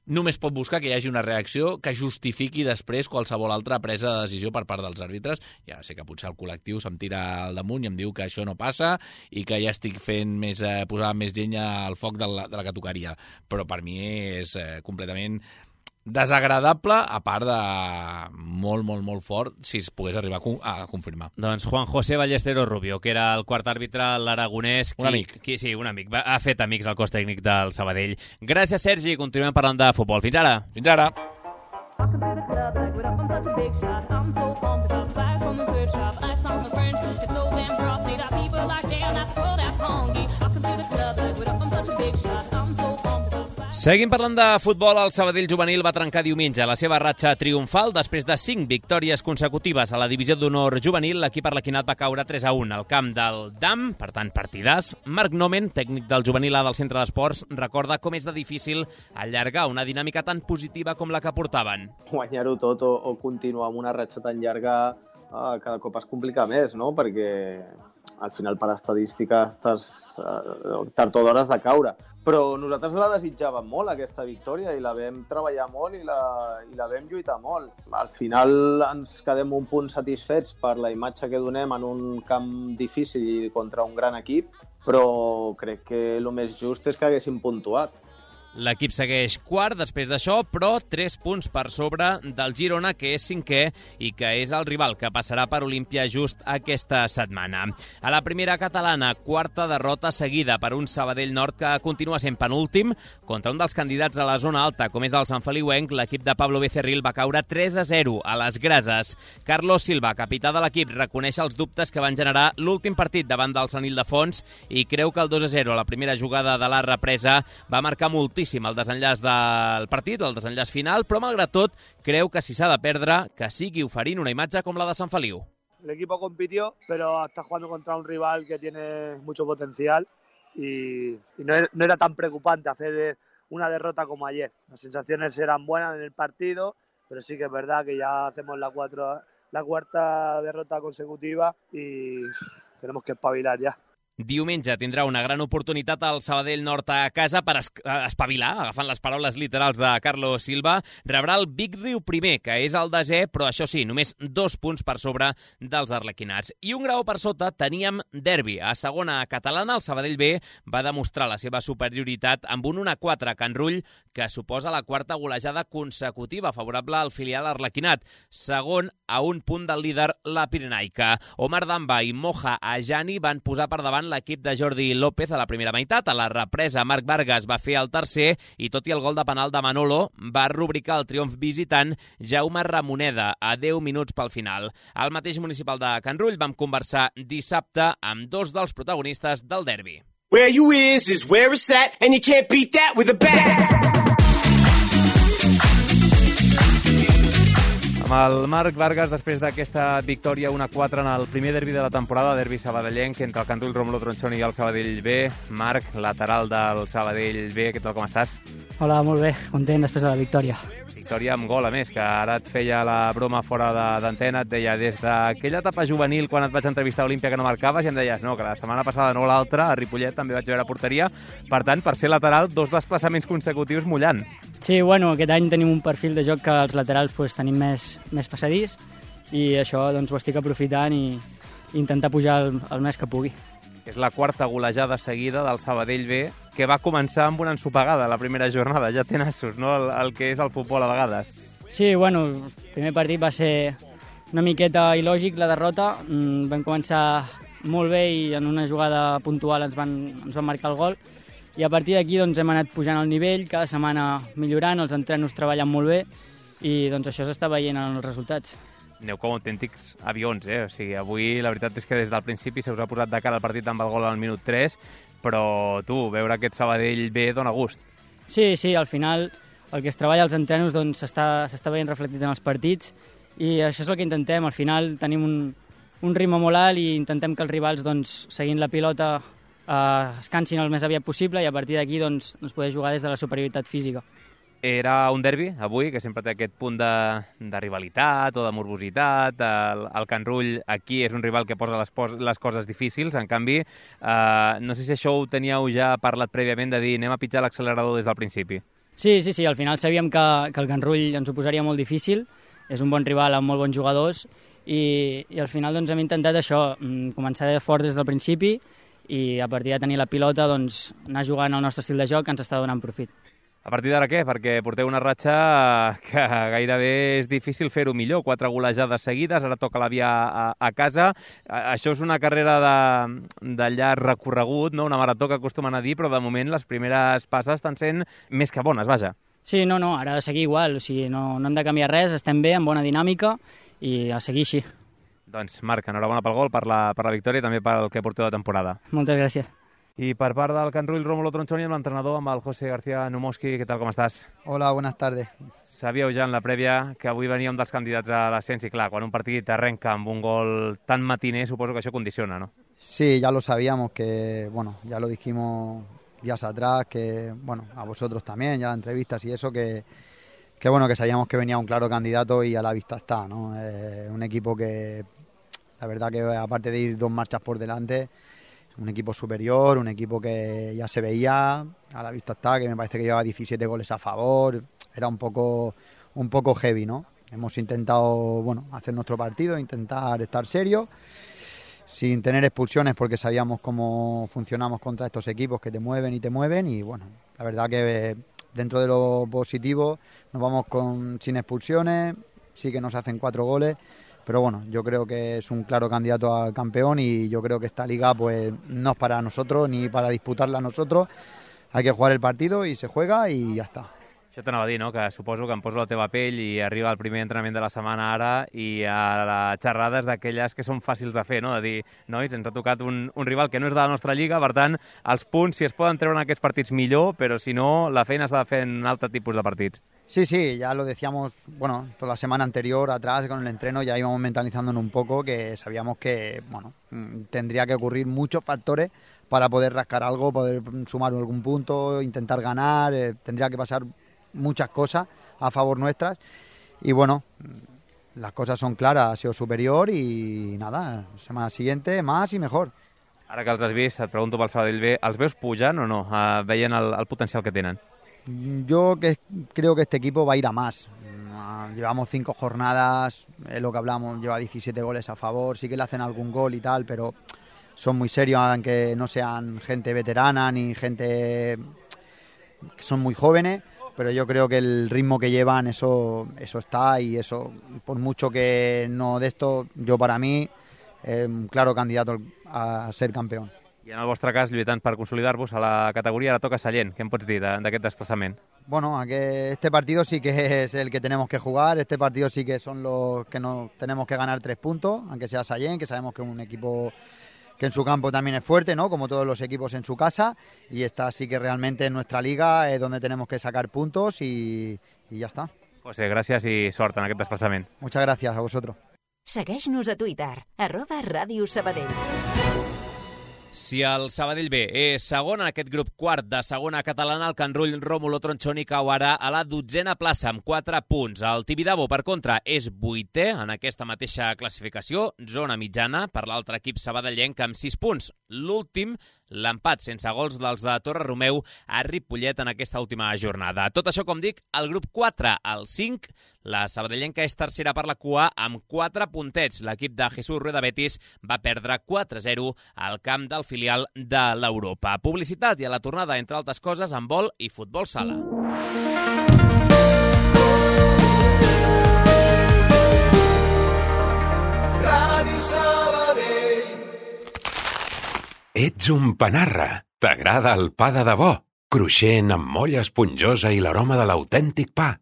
només pot buscar que hi hagi una reacció que justifiqui després qualsevol altra presa de decisió per part dels àrbitres. Ja sé que potser el col·lectiu se'm tira al damunt i em diu que això no passa i que ja estic posant més llenya al foc de la que tocaria. Però per mi és completament desagradable, a part de molt, molt, molt fort, si es pogués arribar a confirmar. Doncs Juan José Ballesteros Rubio, que era el quart àrbitre, l'aragonès... Un amic. Sí, un amic. Ha fet amics al cos tècnic del Sabadell. Gràcies, Sergi. Continuem parlant de futbol. Fins ara. Fins ara. Seguim parlant de futbol. El Sabadell juvenil va trencar diumenge la seva ratxa triomfal després de 5 victòries consecutives a la divisió d'honor juvenil. L'equip arlequinat va caure 3-1 al camp del DAM, per tant, partidàs. Marc Nomen, tècnic del juvenil A del Centre d'Esports, recorda com és de difícil allargar una dinàmica tan positiva com la que portaven. Guanyar-ho tot o continuar amb una ratxa tan llarga cada cop es complica més, no? Perquè al final per estadística estàs tard o d'hora has de caure. Però nosaltres la desitjàvem molt, aquesta victòria, i la vam treballar molt i la vam lluitar molt. Al final ens quedem un punt satisfets per la imatge que donem en un camp difícil i contra un gran equip, però crec que el més just és que haguéssim puntuat. L'equip segueix quart després d'això, però 3 punts per sobre del Girona, que és 5è i que és el rival que passarà per Olímpia just aquesta setmana. A la primera catalana, quarta derrota seguida per un Sabadell Nord que continua sent penúltim. Contra un dels candidats a la zona alta, com és el Sant Feliuenc, l'equip de Pablo Becerril va caure 3-0 a les Grases. Carlos Silva, capità de l'equip, reconeix els dubtes que van generar l'últim partit davant del Sant Ildefons i creu que el 2-0 a la primera jugada de la represa va marcar moltíssim el desenllaç del partit, el desenllaç final, però malgrat tot creu que si s'ha de perdre, que sigui oferint una imatge com la de Sant Feliu. El equipo compitió, pero está jugando contra un rival que tiene mucho potencial y no era tan preocupante hacer una derrota como ayer. Las sensaciones eran buenas en el partido, pero sí que es verdad que ya hacemos la cuarta derrota consecutiva y tenemos que espabilar ya. Diumenge tindrà una gran oportunitat al Sabadell Nord a casa per espavilar, agafant les paraules literals de Carlos Silva. Rebrà el Big Riu primer, que és el 10è, però això sí, només 2 punts per sobre dels arlequinats. I un grau per sota teníem derbi. A segona catalana, el Sabadell B va demostrar la seva superioritat amb un 1-4 a Can Rull, que suposa la quarta golejada consecutiva favorable al filial arlequinat. Segon a un punt del líder, la Pirenaica. Omar Damba i Moja Ajani van posar per davant l'equip de Jordi López a la primera meitat. A la represa, Marc Vargas va fer el tercer i tot i el gol de penal de Manolo va rubricar el triomf visitant Jaume Ramoneda a 10 minuts pel final. Al mateix municipal de Can Rull vam conversar dissabte amb 2 dels protagonistes del derbi. Where you is where it's at and you can't beat that with a bat. Amb el Marc Vargas, després d'aquesta victòria 1-4 en el primer derbi de la temporada, derbi sabadellenc entre el Can Rull, Rómulo Tronchón i el Sabadell B. Marc, lateral del Sabadell B, què tal, com estàs? Hola, molt bé, content després de la victòria. victòria amb gol, a més, que ara et feia la broma fora d'antena, et deia, des d'aquella etapa juvenil, quan et vaig entrevistar a Olímpia que no marcaves, i em deies, no, que la setmana passada no l'altra, a Ripollet també vaig veure porteria, per tant, per ser lateral, 2 desplaçaments consecutius mullant. Sí, bueno, aquest any tenim un perfil de joc que els laterals tenim més passadís, i això doncs, ho estic aprofitant i intentar pujar el més que pugui. És la 4ª golejada seguida del Sabadell B, que va començar amb una ensopegada la primera jornada. Ja té nassos, no?, el que és el futbol a vegades. Sí, bueno, el primer partit va ser una miqueta il·lògic, la derrota. Vam començar molt bé i en una jugada puntual ens van marcar el gol. I a partir d'aquí doncs, hem anat pujant el nivell, cada setmana millorant, els entrenos treballant molt bé i doncs, això s'està veient en els resultats. Aneu com autèntics avions, O sigui, avui la veritat és que des del principi se us ha posat de cara el partit amb el gol al minut 3, però veure aquest Sabadell B dona gust. Sí, al final el que es treballa als entrenos doncs, s'està veient reflectit en els partits i això és el que intentem. Al final tenim un ritme molt alt i intentem que els rivals, doncs, seguint la pilota, es cansin el més aviat possible i a partir d'aquí doncs, poder jugar des de la superioritat física. Era un derbi, avui, que sempre té aquest punt de rivalitat o de morbositat. El Can Rull aquí és un rival que posa les coses difícils. En canvi, no sé si això ho teníeu ja parlat prèviament, de dir anem a pitjar l'accelerador des del principi. Sí, al final sabíem que el Can Rull ens ho posaria molt difícil. És un bon rival amb molt bons jugadors i al final doncs, hem intentat això, començar fort des del principi i a partir de tenir la pilota doncs, anar jugant al nostre estil de joc que ens està donant profit. A partir d'ara què? Perquè porteu una ratxa que gairebé és difícil fer-ho millor. 4 golejades seguides, ara toca la via a casa. Això és una carrera de llarg recorregut, no? Una marató que acostumen a dir, però de moment les primeres passes estan sent més que bones, vaja. Sí, no, ara ha de seguir igual. O sigui, no hem de canviar res, estem bé, amb bona dinàmica i a seguir així. Doncs Marc, enhorabona pel gol, per la victòria i també pel que porteu de temporada. Moltes gràcies. I per part del Can Rull, Rómulo Tronchoni, amb l'entrenador, amb el José García Numoski. ¿Qué tal, com estàs? Hola, buenas tardes. Sabíeu ja en la prèvia que avui venia un dels candidats a l'ascens i clar, quan un partit arrenca amb un gol tan matiner, suposo que això condiciona, ¿no? Sí, ya lo sabíamos, que bueno, ya lo dijimos días atrás, que bueno, a vosotros también, ya las entrevistas y eso, que bueno, que sabíamos que venía un claro candidato y a la vista está, ¿no? Un equipo que, la verdad que aparte de ir 2 marchas por delante, un equipo superior, un equipo que ya se veía, a la vista está, que me parece que llevaba 17 goles a favor, era un poco heavy, ¿no? Hemos intentado, bueno, hacer nuestro partido, intentar estar serios, sin tener expulsiones porque sabíamos cómo funcionamos contra estos equipos que te mueven y bueno, la verdad que dentro de lo positivo nos vamos sin expulsiones, sí que nos hacen 4 goles, pero bueno, yo creo que es un claro candidato al campeón y yo creo que esta liga pues no es para nosotros ni para disputarla nosotros. Hay que jugar el partido y se juega y ya está. Això t'anava a dir, no?, que suposo que em poso la teva pell i arriba el primer entrenament de la setmana ara i a les xerrades d'aquelles que són fàcils de fer, no?, de dir, nois, ens ha tocat un rival que no és de la nostra lliga, per tant, els punts, si es poden treure en aquests partits millor, però si no, la feina s'ha de fer en altre tipus de partits. Sí, ya lo decíamos, bueno, toda la semana anterior, atrás, con el entreno, ya íbamos mentalizándonos un poco, que sabíamos que, bueno, tendría que ocurrir muchos factores para poder rascar algo, poder sumar algún punto, intentar ganar, tendría que pasar muchas cosas a favor nuestras y bueno, las cosas son claras, ha sido superior y nada, semana siguiente más y mejor. Ara que els has vist, et pregunto pel Sabadell B, els veus pujant o no? Veien el potencial que tenen? Yo creo que este equipo va a ir a más. Llevamos 5 jornadas, lo que hablamos, lleva 17 goles a favor, sí que le hacen algún gol y tal, pero son muy serios, aunque no sean gente veterana ni gente que son muy jóvenes, pero yo creo que el ritmo que llevan, eso está, y eso, por mucho que no de esto, yo para mí, un claro candidato a ser campeón. I en el vostre cas, lluitant per consolidar-vos a la categoria, ara toca Sallent. Què em pots dir d'aquest desplaçament? Bueno, este partido sí que es el que tenemos que jugar, este partido sí que son los que no tenemos que ganar 3 puntos, aunque sea Sallent, que sabemos que es un equipo que en su campo también es fuerte, ¿no?, como todos los equipos en su casa, y esta sí que realmente en nuestra liga es donde tenemos que sacar puntos y ya está. José, gràcies i sort en aquest desplaçament. Muchas gracias a vosotros. Segueix-nos a Twitter, @Ràdio Sabadell. Si el Sabadell B és segon en aquest grup quart de segona catalana, el Can Rull Rómulo Tronchoni cau ara a la 12a plaça amb 4 punts. El Tibidabo, per contra, és 8è en aquesta mateixa classificació, zona mitjana, per l'altre equip sabadellenc amb 6 punts. L'últim, l'empat sense gols dels de Torre Romeu a Ripollet en aquesta última jornada. Tot això, com dic, el grup 4, el 5, la sabadellenca és tercera per la cua amb 4 puntets. L'equip de Jesús Rueda Betis va perdre 4-0 al camp del filial de l'Europa. Publicitat i a la tornada, entre altres coses, handbol i futbol sala. Ràdio Sabadell. Ets un panarra. T'agrada el pa de debò? Cruixent, amb molla esponjosa i l'aroma de l'autèntic pa.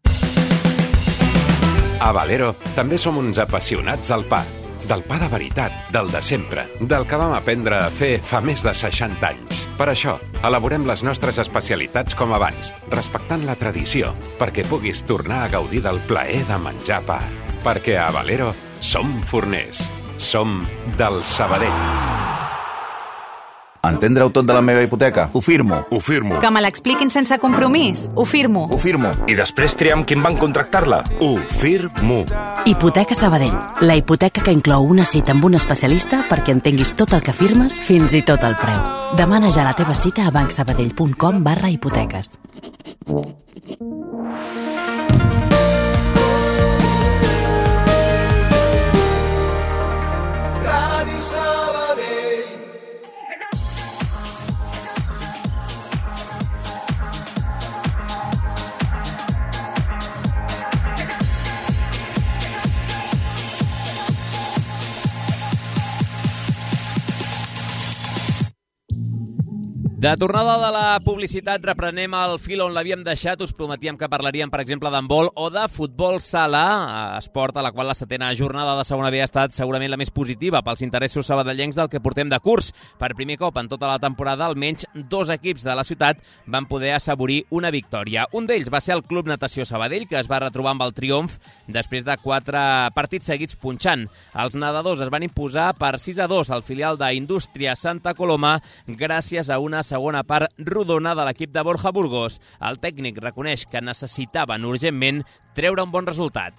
A Valero també som uns apassionats del pa. Del pa de veritat, del de sempre, del que vam aprendre a fer fa més de 60 anys. Per això, elaborem les nostres especialitats com abans, respectant la tradició, perquè puguis tornar a gaudir del plaer de menjar pa. Perquè a Valero som forners. Som del Sabadell. Entendre-ho tot de la meva hipoteca? Ho firmo. Ho firmo. Que me l'expliquin sense compromís? Ho firmo. Ho firmo. I després triar amb qui van contractar-la? Ho firmo. Hipoteca Sabadell. La hipoteca que inclou una cita amb un especialista perquè entenguis tot el que firmes, fins i tot el preu. Demana ja la teva cita a bancsabadell.com/hipoteques. Ràdio Sabadell. De tornada de la publicitat, reprenem el fil on l'havíem deixat. Us prometíem que parlaríem, per exemple, d'handbol o de futbol sala, esport a la qual la setena jornada de segona B ha estat segurament la més positiva pels interessos sabadellencs del que portem de curs. Per primer cop en tota la temporada, almenys 2 equips de la ciutat van poder assaborir una victòria. Un d'ells va ser el Club Natació Sabadell, que es va retrobar amb el triomf després de 4 partits seguits punxant. Els nedadors es van imposar per 6-2 al filial d'Indústria Santa Coloma gràcies a una segona part rodona de l'equip de Borja Burgos. El tècnic reconeix que necessitaven urgentment treure un bon resultat.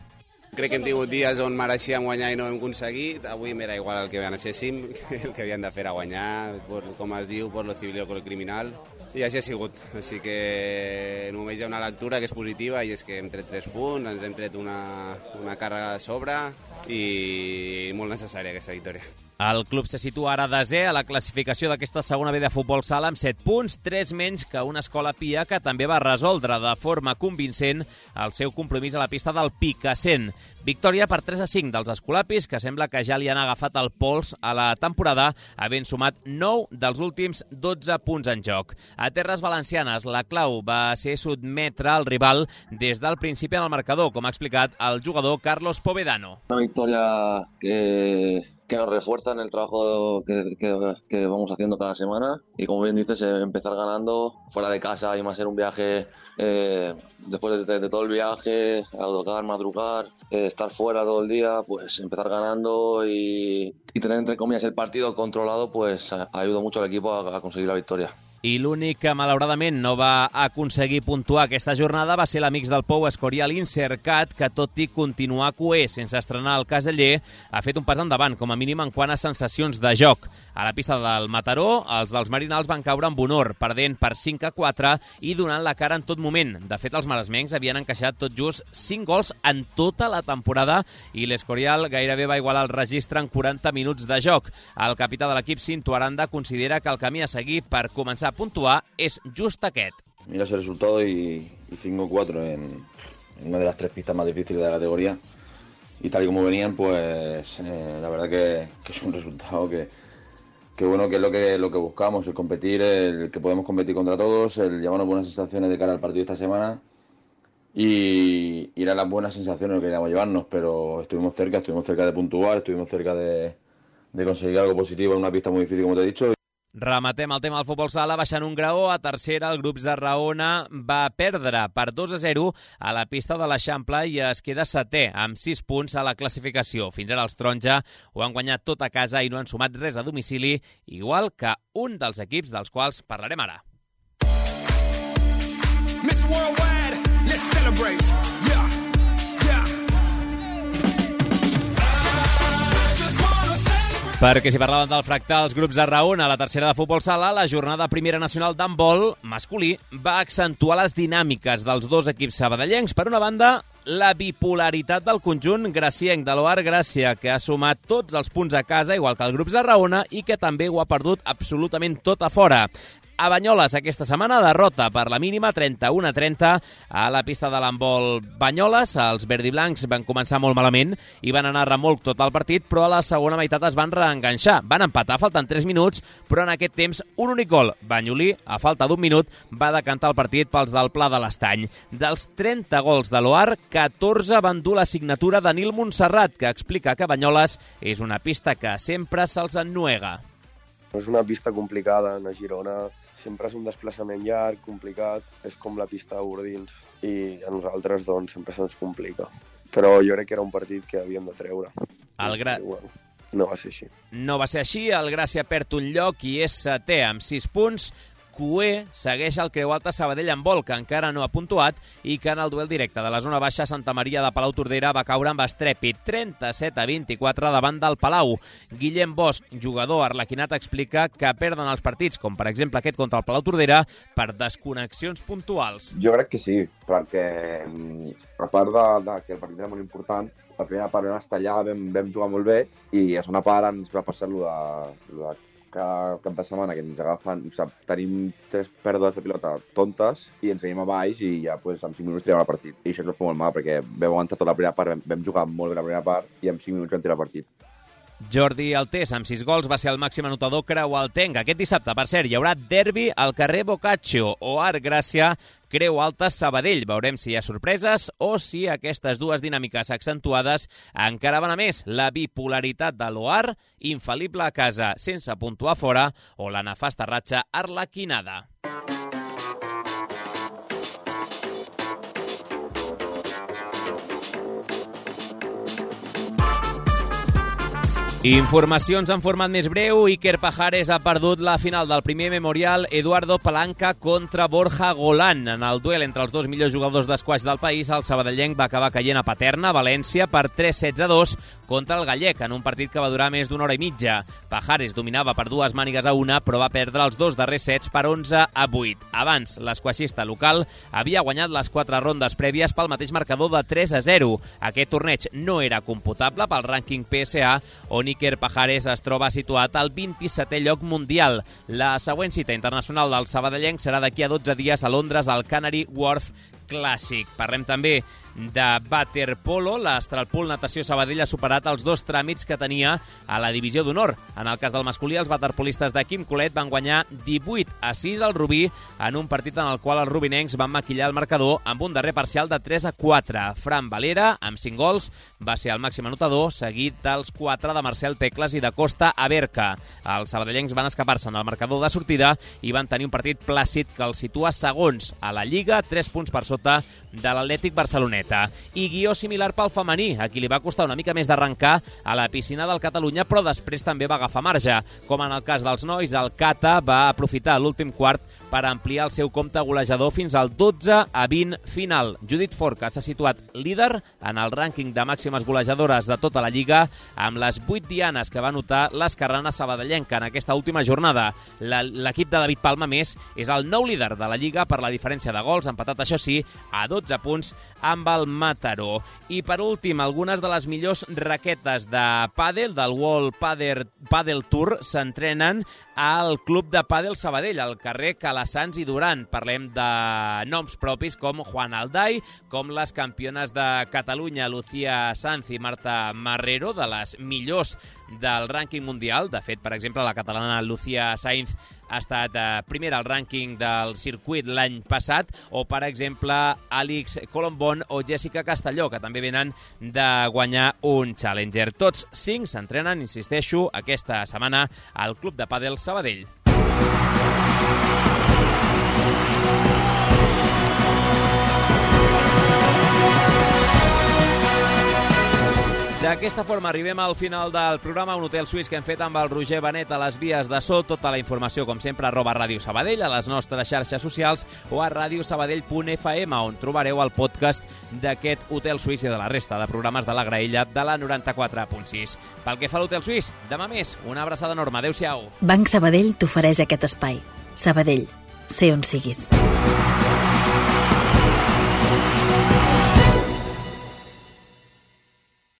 Crec que hem tingut dies on mereixíem guanyar i no hem aconseguit. Avui m'era igual el que necesséssim, el que havien de fer era guanyar, com es diu, por lo civil o por lo criminal. I així ha sigut. Així que només hi ha una lectura que és positiva i és que hem tret 3 punts, ens hem tret una càrrega de sobre i molt necessària aquesta victòria. El club se situa ara desè a la classificació d'aquesta segona B de futbol sala amb 7 punts, 3 menys que una escola Pia que també va resoldre de forma convincent el seu compromís a la pista del Picassent. Victòria per 3-5 dels escolapis, que sembla que ja li han agafat el pols a la temporada, havent sumat 9 dels últims 12 punts en joc. A terres valencianes, la clau va ser sotmetre el rival des del principi en el marcador, com ha explicat el jugador Carlos Povedano. Una victòria que nos refuerza en el trabajo que vamos haciendo cada semana y, como bien dices, empezar ganando fuera de casa y más en un viaje, después de todo el viaje, autocar, madrugar, estar fuera todo el día, pues empezar ganando y tener, entre comillas, el partido controlado, pues ayuda mucho al equipo a conseguir la victoria. I l'únic que, malauradament, no va aconseguir puntuar aquesta jornada va ser l'Amics del Pou Escorial Insercat, que, tot i continuar coer sense estrenar el Caseller, ha fet un pas endavant, com a mínim en quant a sensacions de joc. A la pista del Mataró, els dels Marinals van caure amb honor, perdent per 5-4 i donant la cara en tot moment. De fet, els maresmencs havien encaixat tot just 5 gols en tota la temporada i l'Escorial gairebé va igualar el registre en 40 minuts de joc. El capità de l'equip, Cinto Aranda, considera que el camí a seguir per començar a puntuar és just aquest. Mira ese resultado y 5-4 en una de las 3 pistas más difíciles de la categoría y tal y como venían, pues la verdad que es un resultado que bueno, que es lo que buscamos, el competir, el que podemos competir contra todos, el llevarnos buenas sensaciones de cara al partido de esta semana y ir a las buenas sensaciones que queríamos llevarnos, pero estuvimos cerca de puntuar, estuvimos cerca de conseguir algo positivo en una pista muy difícil, como te he dicho. Rematem el tema del futbol sala baixant un graó. A tercera, el grup Tarragona va perdre per 2-0 a la pista de l'Eixample i es queda setè amb 6 punts a la classificació. Fins ara els taronja ho han guanyat tot a casa i no han sumat res a domicili, igual que un dels equips dels quals parlarem ara. Miss Worldwide, let's celebrate. Yeah, yeah. Perquè si parlàvem del fractal, els grups de Raona a la tercera de futbol sala, la jornada primera nacional d'handbol masculí va accentuar les dinàmiques dels dos equips sabadellencs. Per una banda, la bipolaritat del conjunt gracienc de l'Oar Gràcia, que ha sumat tots els punts a casa, igual que el grups de Raona, i que també ho ha perdut absolutament tot a fora. A Banyoles aquesta setmana derrota per la mínima 31-30 a la pista de l'handbol Banyoles. Els verdiblancs van començar molt malament i van anar a remolc tot el partit, però a la segona meitat es van reenganxar. Van empatar, faltant 3 minuts, però en aquest temps un únic gol. Banyolí, a falta d'un minut, va decantar el partit pels del Pla de l'Estany. Dels 30 gols de l'Oar, 14 van dur la signatura de Nil Montserrat, que explica que Banyoles és una pista que sempre se'ls ennuega. És una pista complicada, a Girona sempre és un desplaçament llarg, complicat, és com la pista de Bordils i a nosaltres doncs sempre se'ns complica. Però jo crec que era un partit que havíem de treure. Bueno, no va ser així. No va ser així, el Gràcia perd un lloc i és setè amb 6 punts. Cué segueix el Creu Alta Sabadell en vol, que encara no ha puntuat i que en el duel directe de la zona baixa Santa Maria de Palau-Tordera va caure amb estrèpit 37-24 davant del Palau. Guillem Bosch, jugador arlequinat, explica que perden els partits, com per exemple aquest contra el Palau-Tordera, per desconnexions puntuals. Jo crec que sí, perquè a part de que el partit era molt important, la primera part vam estar allà, vam jugar molt bé i a la segona part ens va passar lo de cada cap de setmana que ens agafen, o sigui, tenim 3 pèrdues de pilota tontes i ens veiem a baix i ja pues, en 5 minuts tirem el partit. I això ens va fer molt mal perquè vam aguantar tota la primera part, vam jugar molt bé la primera part i en 5 minuts vam tirar el partit. Jordi Altés, amb 6 gols, va ser el màxim anotador creualtenc. Aquest dissabte, per cert, hi haurà derbi al carrer Boccaccio o Arc Gràcia, Creu Alta Sabadell. Veurem si hi ha sorpreses o si aquestes dues dinàmiques accentuades encara van a més. La bipolaritat de l'Oar, infal·lible a casa sense puntuar fora, o la nefasta ratxa arlequinada. Informacions en format més breu. Iker Pajares ha perdut la final del primer memorial Eduardo Palanca contra Borja Golán. En el duel entre els dos millors jugadors d'esquaix del país, el sabadellenc va acabar caient a Paterna, València, per 3-16-2 contra el gallec, en un partit que va durar més d'una hora i mitja. Pajares dominava per 2 mànigues a 1, però va perdre els 2 darrers sets per 11-8. Abans, l'esquaixista local havia guanyat les 4 rondes prèvies pel mateix marcador de 3-0. Aquest torneig no era computable pel rànquing PSA, on Iker Pajares es troba situat al 27è lloc mundial. La següent cita internacional del sabadellenc serà d'aquí a 12 dies a Londres al Canary Wharf Clàssic. Parlem també de waterpolo. L'Astralpool Natació Sabadell ha superat els 2 tràmits que tenia a la divisió d'honor. En el cas del masculí, els waterpolistes de Quim Colet van guanyar 18-6 al Rubí en un partit en el qual els rubinencs van maquillar el marcador amb un darrer parcial de 3-4. Fran Valera, amb 5 gols, va ser el màxim anotador, seguit dels 4 de Marcel Tecles i de Costa Aberca. Els sabadellencs van escapar-se en el marcador de sortida i van tenir un partit plàcid que els situa segons a la Lliga, 3 punts per sota de l'Atlètic Barceloneta. I guió similar pel femení, a qui li va costar una mica més d'arrencar a la piscina del Catalunya, però després també va agafar marge. Com en el cas dels nois, el Cata va aprofitar l'últim quart per ampliar el seu compte golejador fins al 12-20 final. Judit Forca s'ha situat líder en el rànquing de màximes golejadores de tota la Lliga, amb les 8 dianes que va anotar l'esquerrana sabadellenca en aquesta última jornada. L'equip de David Palma, més, és el nou líder de la Lliga per la diferència de gols, empatat, això sí, a 12 punts amb el Mataró. I per últim, algunes de les millors raquetes de pàdel del World Padel Tour s'entrenen al Club de Pàdel Sabadell, al carrer Calassans i Duran. Parlem de noms propis com Juan Alday, com les campiones de Catalunya, Lucía Sanz i Marta Marrero, de les millors del rànquing mundial. De fet, per exemple, la catalana Lucía Sainz ha estat primera al rànquing del circuit l'any passat, o, per exemple, Àlex Colombón o Jessica Castelló, que també venen de guanyar un Challenger. Tots 5 s'entrenen, insisteixo, aquesta setmana al Club de Pàdel Sabadell. D'aquesta forma arribem al final del programa, un hotel suís que hem fet amb el Roger Benet a les vies de so. Tota la informació, com sempre, @Ràdio Sabadell, a les nostres xarxes socials o a radiosabadell.fm, on trobareu el podcast d'aquest hotel suís i de la resta de programes de la graella de la 94.6. Pel que fa a l'hotel suís, demà més, una abraçada enorme. Adéu-siau. Banc Sabadell t'ofereix aquest espai. Sabadell, sé on siguis.